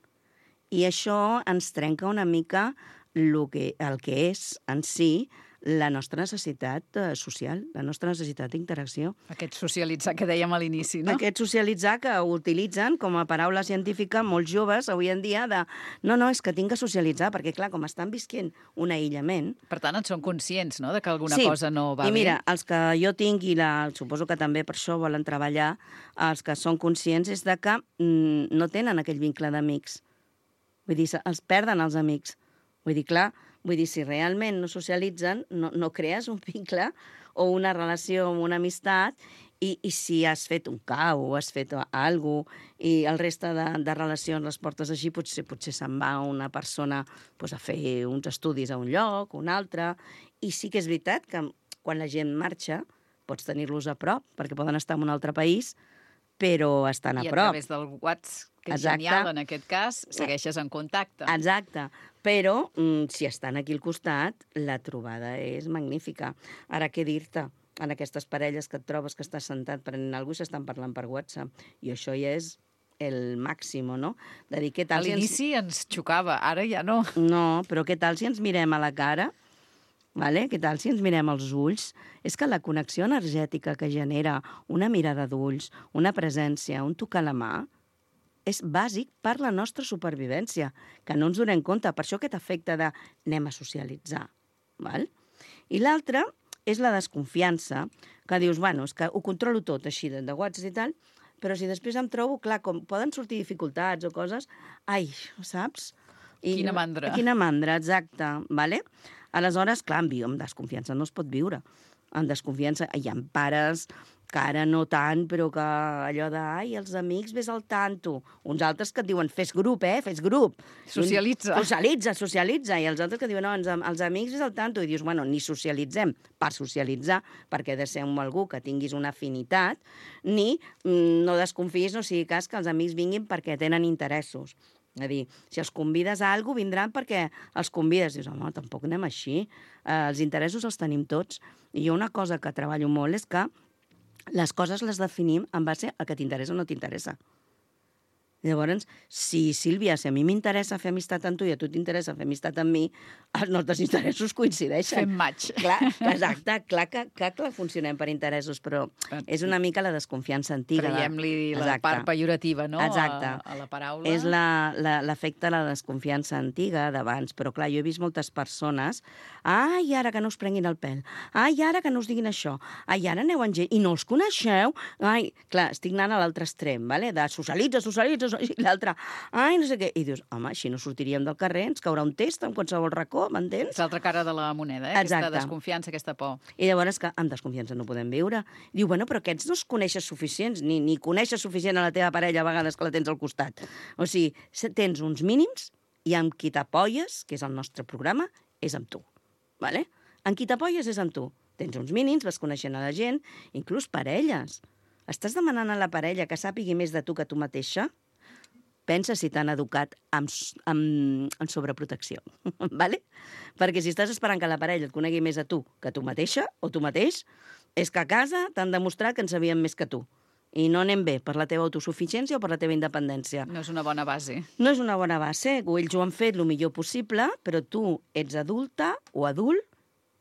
F: I això ens trenca una mica el que és en si la nostra necessitat social, la nostra necessitat d'interacció.
B: Aquest socialitzar que dèiem a l'inici, no?
F: Aquest socialitzar que utilitzen com a paraula científica molts joves avui en dia de no, és que tinc que socialitzar, perquè clar, com estan visquent un aïllament...
B: Per tant, en són conscients, no?, de que alguna cosa no va bé.
F: I mira, els que jo tinc, i suposo que també per això volen treballar, els que són conscients és de que no tenen aquell vincle d'amics. Vull dir, els perden els amics. Vull dir, clar, si realment no socialitzen, no crees un vincle o una relació o una amistat, i si has fet un cau o has fet alguna cosa i el reste de relacions les portes així, potser se'n va una persona a fer uns estudis a un lloc o un altre. I sí que és veritat que quan la gent marxa pots tenir-los a prop, perquè poden estar en un altre país, però estan a prop.
B: I a través del WhatsApp, que és genial en aquest cas, segueixes en contacte.
F: Exacte. Però si estan aquí al costat, la trobada és magnífica. Ara, què dir-te? En aquestes parelles que et trobes que estàs sentat prenent alguna cosa i s'estan parlant per WhatsApp. I això ja és el màxim, no? De dir, què tal
B: a l'inici ens xocava, ara ja no.
F: No, però què tal si ens mirem a la cara? Vale? Què tal si ens mirem als ulls? És que la connexió energètica que genera una mirada d'ulls, una presència, un tocar la mà, és bàsic per la nostra supervivència, que no ens donem compte. Per això aquest efecte de anem a socialitzar. Val? I l'altre és la desconfiança, que dius, bueno, és que ho controlo tot així de WhatsApp i tal, però si després em trobo, clar, com poden sortir dificultats o coses, saps?
B: Quina mandra.
F: Quina mandra, exacte. Vale? Aleshores, clar, amb desconfiança no es pot viure. Amb desconfiança hi ha pares que ara no tant, però que allò de, els amics, vés al tanto. Uns altres que et diuen, fes grup, fes grup.
B: Socialitza.
F: Socialitza. I els altres que diuen, no, els amics, vés al tanto. I dius, bueno, ni socialitzem per socialitzar, perquè ha de ser amb algú que tinguis una afinitat, ni no desconfiïs, no sigui cas que els amics vinguin perquè tenen interessos. És a dir, si els convides a alguna cosa, vindran perquè els convides. Dius, home, tampoc anem així. Els interessos els tenim tots. I jo una cosa que treballo molt és que les coses les definim en base a que t'interessa o no t'interessa. Llavors, si, Sílvia, si a mi m'interessa fer amistat amb tu i a tu t'interessa fer amistat amb mi, els nostres interessos coincideixen.
B: Fem match.
F: Clar, exacte, clar que funcionem per interessos, però és una mica la desconfiança antiga.
B: Traiem-li la part pejorativa, no?
F: Exacte.
B: A la paraula.
F: És l'efecte de la desconfiança antiga d'abans, però clar, jo he vist moltes persones, ara que no us prenguin el pèl, ara que no us diguin això, ara aneu en gent, i no els coneixeu, clar, estic anant a l'altre extrem, vale? De socialitza, i l'altre, no sé què. I dius, home, així no sortiríem del carrer, ens caurà un test en qualsevol racó, m'entens?
B: És l'altra cara de la moneda, aquesta desconfiança, aquesta por.
F: I llavors que amb desconfiança no podem viure. Diu, bueno, però aquests no es coneixes suficients, ni coneixes suficient a la teva parella a vegades que la tens al costat. O sigui, tens uns mínims i amb qui t'apoies, que és el nostre programa, és amb tu. Vale? Amb qui t'apoies és amb tu. Tens uns mínims, vas coneixent a la gent, inclús parelles. Estàs demanant a la parella que sàpigui més de tu que tu mateixa? Pensa si t'han educat amb sobreprotecció, vale? Perquè si estàs esperant que la parella et conegui més a tu que tu mateixa o tu mateix, és que a casa t'han demostrat que en sabien més que tu. I no anem bé per la teva autosuficiència o per la teva independència.
B: No és una bona base.
F: No és una bona base. Ells ho han fet el millor possible, però tu ets adulta o adult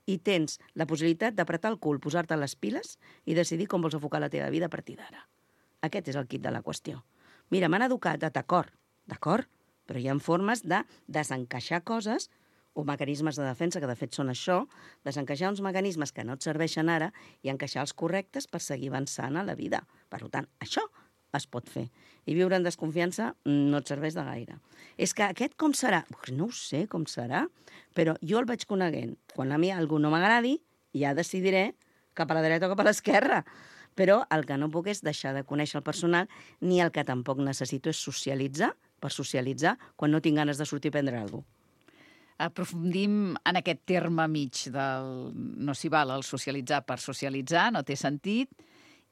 F: i tens la possibilitat d'apretar el cul, posar-te les piles i decidir com vols enfocar la teva vida a partir d'ara. Aquest és el quid de la qüestió. Mira, m'han educat, d'acord, però hi ha formes de desencaixar coses o mecanismes de defensa, que de fet són això, desencaixar uns mecanismes que no et serveixen ara i encaixar els correctes per seguir avançant a la vida. Per tant, això es pot fer. I viure en desconfiança no et serveix de gaire. És que aquest com serà? No ho sé com serà, però jo el vaig coneguent. Quan a mi alguna no m'agradi, ja decidiré cap a la dreta o cap a l'esquerra. Però el que no puc és deixar de conèixer el personal, ni el que tampoc necessito és socialitzar per socialitzar quan no tinc ganes de sortir a prendre alguna cosa.
B: Aprofundim en aquest terme mig del no s'hi val el socialitzar per socialitzar, no té sentit,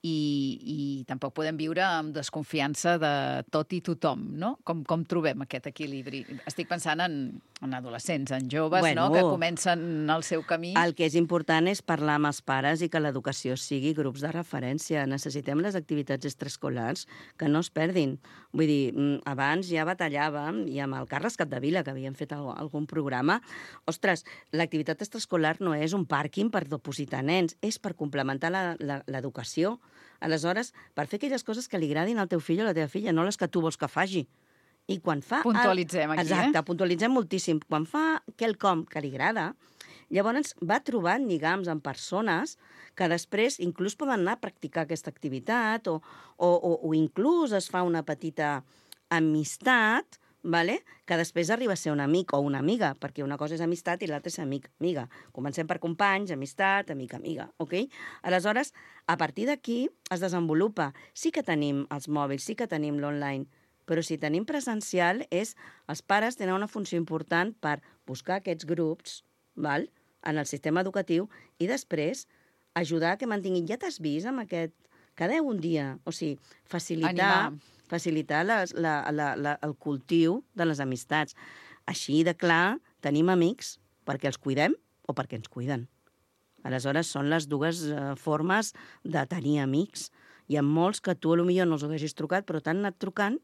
B: i tampoc podem viure amb desconfiança de tot i tothom, no? Com trobem aquest equilibri? Estic pensant en adolescents, en joves, no? Que comencen el seu camí.
F: El que és important és parlar amb els pares i que l'educació sigui grups de referència. Necessitem les activitats extraescolars que no es perdin. Vull dir, abans ja batallàvem, i amb el Carles Capdevila, que havíem fet algun programa, ostres, l'activitat extraescolar no és un pàrquing per depositar nens, és per complementar l'educació. Aleshores, per fer aquelles coses que li agradin al teu fill o a la teva filla, no les que tu vols que faci. I quan fa...
B: Puntualitzem aquí,
F: Exacte, puntualitzem moltíssim. Quan fa quelcom que li agrada, llavors va trobant lligams amb persones que després inclús poden anar a practicar aquesta activitat o inclús es fa una petita amistat, vale? Que després arriba a ser un amic o una amiga, perquè una cosa és amistat i l'altra és amiga. Comencem per companys, amistat, amiga, ok? Aleshores, a partir d'aquí es desenvolupa. Sí que tenim els mòbils, sí que tenim l'online, però si tenim presencial, els pares tenen una funció important per buscar aquests grups, val? En el sistema educatiu i després ajudar que mantinguin. Ja t'has vist amb aquest... Cada un dia, o sigui, facilitar el cultiu de les amistats. Així de clar, tenim amics perquè els cuidem o perquè ens cuiden. Aleshores, són les dues formes de tenir amics. Hi ha molts que tu potser no els haguessis trucat, però t'han anat trucant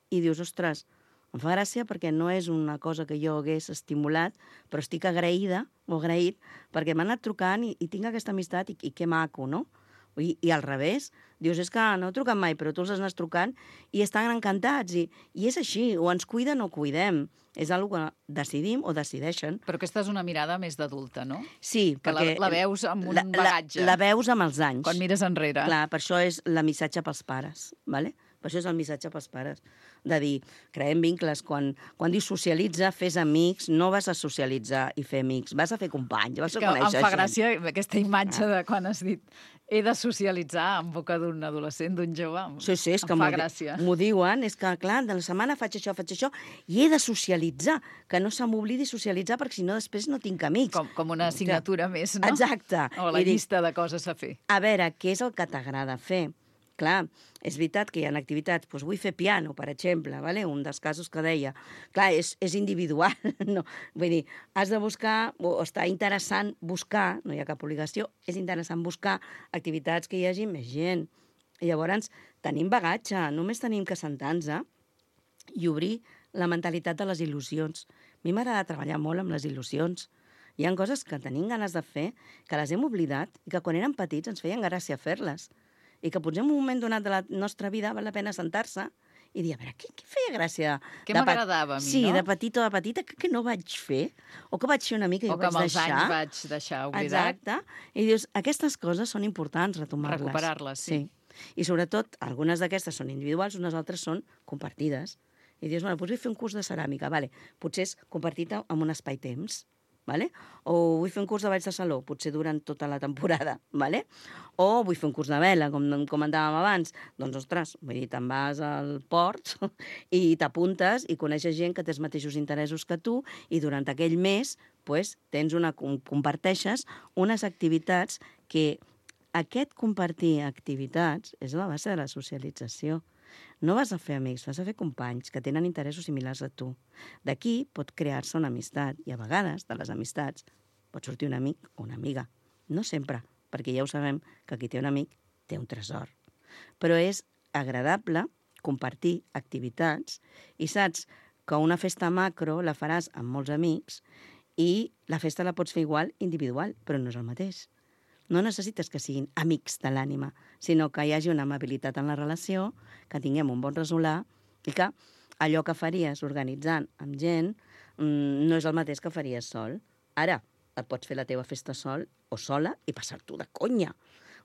F: i dius, ostres, em fa gràcia perquè no és una cosa que jo hagués estimulat, però estic agraïda o agraït perquè m'han anat trucant i tinc aquesta amistat i que maco, no? I al revés, dius, és que no he trucat mai, però tu els has trucant i estan encantats. I és així, o ens cuiden o cuidem. És una cosa que decidim o decideixen.
B: Però aquesta és una mirada més d'adulta, no?
F: Sí,
B: que
F: perquè...
B: la veus amb un bagatge.
F: La veus amb els anys.
B: Quan mires enrere.
F: Clar, per això és el missatge pels pares, ¿vale? Per això és el missatge pels pares. De dir, creem vincles. Quan dius socialitza, fes amics, no vas a socialitzar i fer amics, vas a fer companys, vas a conèixer gent.
B: Em fa gràcia aquesta imatge de quan has dit he de socialitzar en boca d'un adolescent, d'un jove.
F: Sí, és que
B: em fa gràcia.
F: M'ho diuen, és que, clar, de la setmana faig això, i he de socialitzar, que no se m'oblidi socialitzar, perquè si no després no tinc amics.
B: Com una assignatura més, no?
F: Exacte.
B: O la llista de coses a fer.
F: A veure, què és el que t'agrada fer? Clar, és veritat que hi ha activitats, doncs vull fer piano, per exemple, ¿vale? Un dels casos que deia. Clar, és individual, no? Vull dir, has de buscar, o està interessant buscar, no hi ha cap obligació, és interessant buscar activitats que hi hagi més gent. I llavors tenim bagatge, només tenim que sentar-nos i obrir la mentalitat de les il·lusions. A mi m'agrada treballar molt amb les il·lusions. Hi ha coses que tenim ganes de fer, que les hem oblidat i que quan érem petits ens feien gràcia fer-les. I que potser en un moment donat de la nostra vida val la pena sentar-se i dir, a veure, què feia gràcia?
B: Què m'agradava a mi,
F: sí,
B: no?
F: Sí, de petit o de petita, que no vaig fer, o que vaig fer una mica i
B: o
F: vaig deixar.
B: O que amb els anys vaig deixar oblidat.
F: Exacte. I dius, aquestes coses són importants, retomar-les.
B: Recuperar-les, sí.
F: I sobretot, algunes d'aquestes són individuals, unes altres són compartides. I dius, bueno, vull fer un curs de ceràmica, vale. Potser és compartit amb un espai-temps, vale? O vull fer un curs de balls de saló, potser durant tota la temporada, vale? O vull fer un curs de vela, com comentàvem abans. Doncs, ostres, vull dir, te'n vas al port i t'apuntes i coneixes gent que té els mateixos interessos que tu i durant aquell mes pues, comparteixes unes activitats que aquest compartir activitats és la base de la socialització. No vas a fer amics, vas a fer companys que tenen interessos similars a tu. D'aquí pot crear-se una amistat i a vegades de les amistats pot sortir un amic o una amiga. No sempre, perquè ja ho sabem que qui té un amic té un tresor. Però és agradable compartir activitats i saps que una festa macro la faràs amb molts amics i la festa la pots fer igual individual, però no és el mateix. No necessites que siguin amics de l'ànima, sinó que hi hagi una amabilitat en la relació, que tinguem un bon resolar i que allò que faries organitzant amb gent no és el mateix que faries sol. Ara, et pots fer la teva festa sol o sola i passar-t'ho de conya.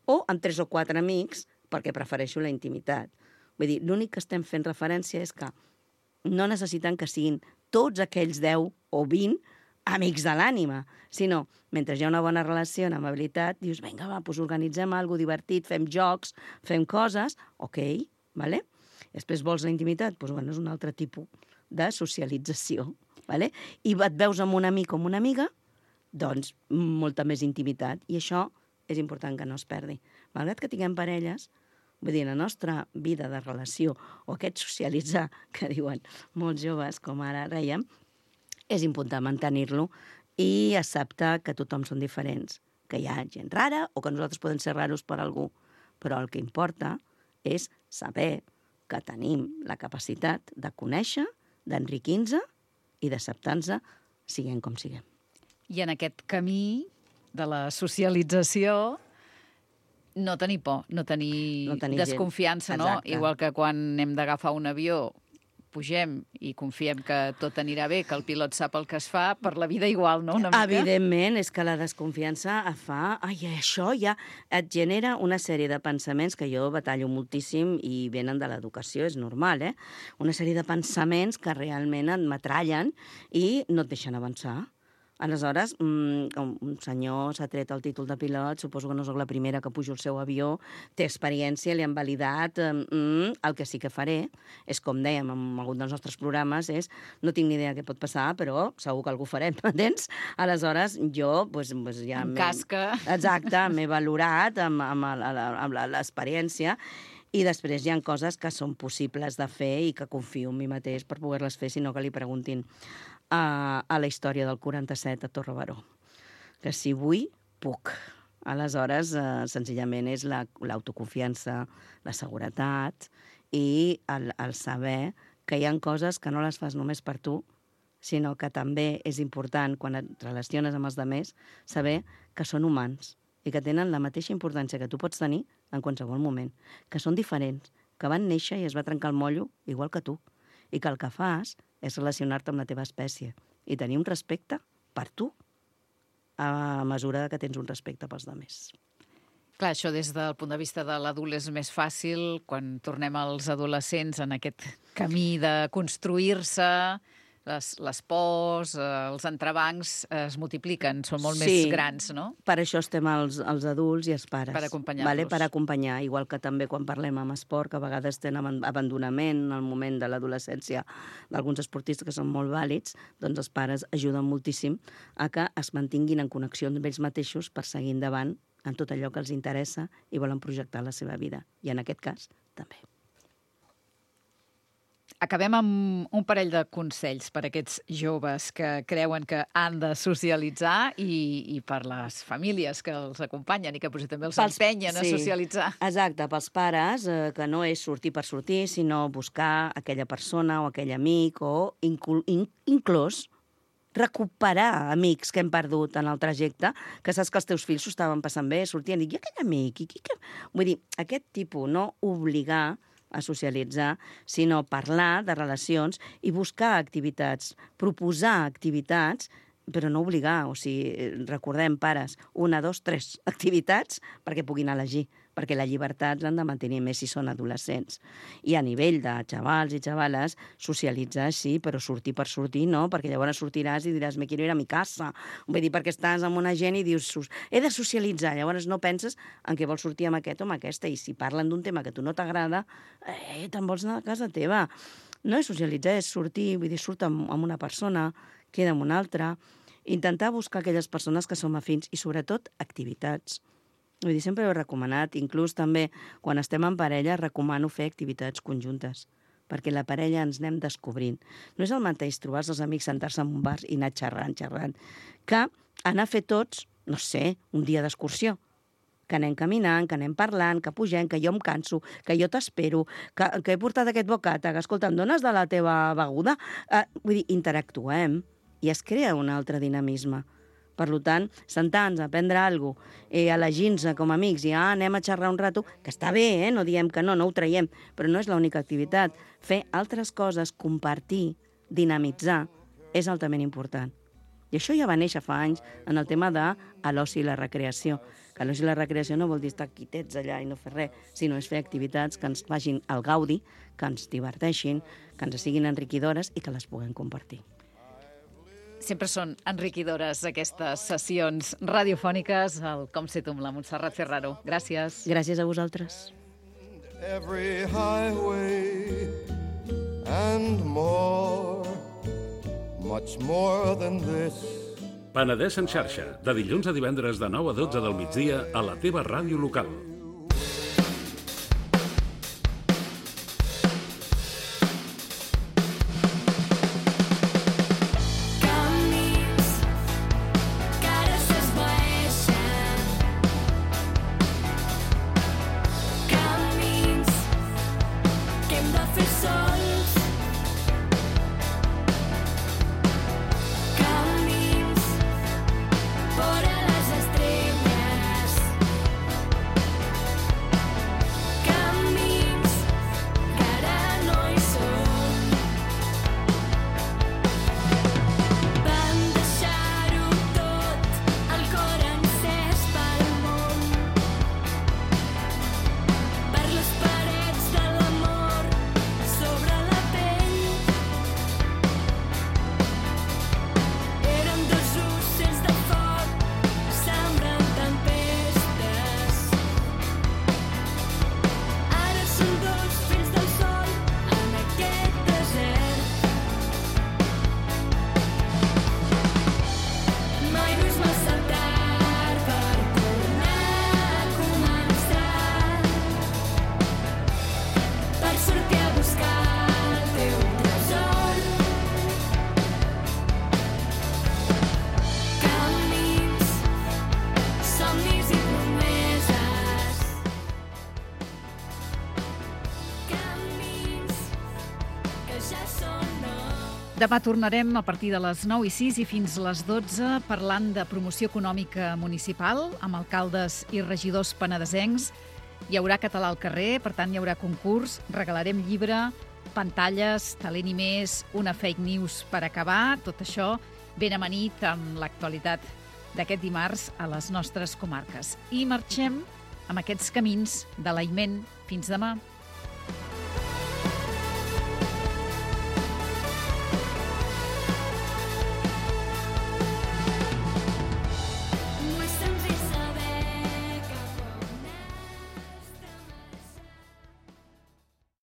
F: O amb 3 o 4 amics, perquè prefereixo la intimitat. Vull dir, l'únic que estem fent referència és que no necessiten que siguin tots aquells 10 o 20 amics de l'ànima, sinó, mentre hi ha una bona relació, una amabilitat, dius, vinga, va, doncs organitzem alguna cosa divertit, fem jocs, fem coses, ok, vale? Després vols la intimitat? Doncs bueno, és un altre tipus de socialització. Vale? I et veus amb un amic o amb una amiga, doncs molta més intimitat. I això és important que no es perdi. Malgrat que tinguem parelles, vull dir, la nostra vida de relació o aquest socialitzar que diuen molts joves, com ara rèiem, és important mantenir-lo i acceptar que tothom són diferents, que hi ha gent rara o que nosaltres podem ser raros per algú. Però el que importa és saber que tenim la capacitat de conèixer, d'enriquir-nos i d'acceptar-nos siguem com siguem.
B: I en aquest camí de la socialització no tenir por, no tenir desconfiança, no? Igual que quan hem d'agafar un avió, pugem i confiem que tot anirà bé, que el pilot sap el que es fa, per la vida igual, no? Una mica.
F: Evidentment, és que la desconfiança et fa... Ai, això ja et genera una sèrie de pensaments que jo batallo moltíssim i venen de l'educació, és normal, eh? Una sèrie de pensaments que realment et metrallen i no et deixen avançar. Aleshores, un senyor s'ha tret el títol de pilot, suposo que no soc la primera que pujo al seu avió, té experiència, li han validat, el que sí que faré és, com dèiem en algun dels nostres programes, és no tinc ni idea què pot passar, però segur que algú farem, m'entens? Aleshores, jo ja...
B: En cas que...
F: Exacte, m'he valorat amb l'experiència i després hi ha coses que són possibles de fer i que confio en mi mateix per poder-les fer, sinó que li preguntin a la història del 47 a Torre Baró. Que si vull, puc. Aleshores, senzillament és l'autoconfiança, la seguretat i el saber que hi ha coses que no les fas només per tu, sinó que també és important, quan et relaciones amb els altres, saber que són humans i que tenen la mateixa importància que tu pots tenir en qualsevol moment, que són diferents, que van néixer i es va trencar el mollo igual que tu, i que el que fas és relacionar-te amb la teva espècie i tenir un respecte per tu a mesura que tens un respecte pels altres.
B: Clar, això des del punt de vista de l'adult és més fàcil quan tornem als adolescents en aquest camí de construir-se, les pors, els entrebancs es multipliquen, són molt més grans, no?
F: Per això estem els adults i els pares.
B: Per acompanyar-los.
F: Vale? Per acompanyar, igual que també quan parlem amb esport, que a vegades tenen abandonament en el moment de l'adolescència d'alguns esportistes que són molt vàlids, doncs els pares ajuden moltíssim a que es mantinguin en connexió amb ells mateixos per seguir endavant en tot allò que els interessa i volen projectar la seva vida. I en aquest cas, també.
B: Acabem amb un parell de consells per a aquests joves que creuen que han de socialitzar i per les famílies que els acompanyen i que potser també els empenyen a socialitzar.
F: Exacte, pels pares, que no és sortir per sortir, sinó buscar aquella persona o aquell amic o inclús recuperar amics que hem perdut en el trajecte, que saps que els teus fills s'ho estaven passant bé, sortien i aquell amic... Vull dir, aquest tipus, no obligar a socialitzar, sinó parlar de relacions i buscar activitats, proposar activitats, però no obligar. O sigui, recordem, pares, 1, 2, 3 activitats perquè puguin elegir, perquè la llibertat l'han de mantenir més si són adolescents. I a nivell de xavals i xavales, socialitzar sí, però sortir per sortir no, perquè llavors sortiràs i diràs me quiero ir a mi casa. Vull dir, perquè estàs amb una gent i dius he de socialitzar, llavors no penses en què vols sortir amb aquest o amb aquesta, i si parlen d'un tema que a tu no t'agrada, te'n vols anar a casa teva. No és socialitzar, és sortir, vull dir, surt amb una persona, queda amb una altra, intentar buscar aquelles persones que som afins i sobretot activitats. Vull dir, sempre ho he recomanat, inclús també quan estem en parella recomano fer activitats conjuntes, perquè la parella ens anem descobrint. No és el mateix trobar-se els amics, sentar-se en un bar i anar xerrant, que anar a fer tots, no sé, un dia d'excursió, que anem caminant, que anem parlant, que pugem, que jo em canso, que jo t'espero, que he portat aquest bocata, que escolta, em dones de la teva beguda? Vull dir, interactuem i es crea un altre dinamisme. Per tant, sentar-nos, aprendre alguna cosa, elegir-nos com a amics i anem a xerrar un rato, que està bé, no diem que no ho traiem, però no és l'única activitat. Fer altres coses, compartir, dinamitzar, és altament important. I això ja va néixer fa anys en el tema de l'oci i la recreació. Que l'oci i la recreació no vol dir estar quietets allà i no fer res, sinó és fer activitats que ens facin el gaudi, que ens diverteixin, que ens siguin enriquidores i que les puguem compartir.
B: Sempre són enriquidores aquestes sessions radiofòniques al Com se tu amb la Montserrat Ferraro. Gràcies.
F: Gràcies a vosaltres.
E: every highway and more, much more than this.
G: Penedès en xarxa, de dilluns a divendres de 9 a 12 del migdia a la teva ràdio local.
B: Demà tornarem a partir de les 9:06 i fins les 12 parlant de promoció econòmica municipal amb alcaldes i regidors penedesencs. Hi haurà català al carrer, per tant hi haurà concurs, regalarem llibre, pantalles, talent i més, una fake news per acabar, tot això ben amanit amb l'actualitat d'aquest dimarts a les nostres comarques. I marxem amb aquests camins de l'Aiment. Fins demà.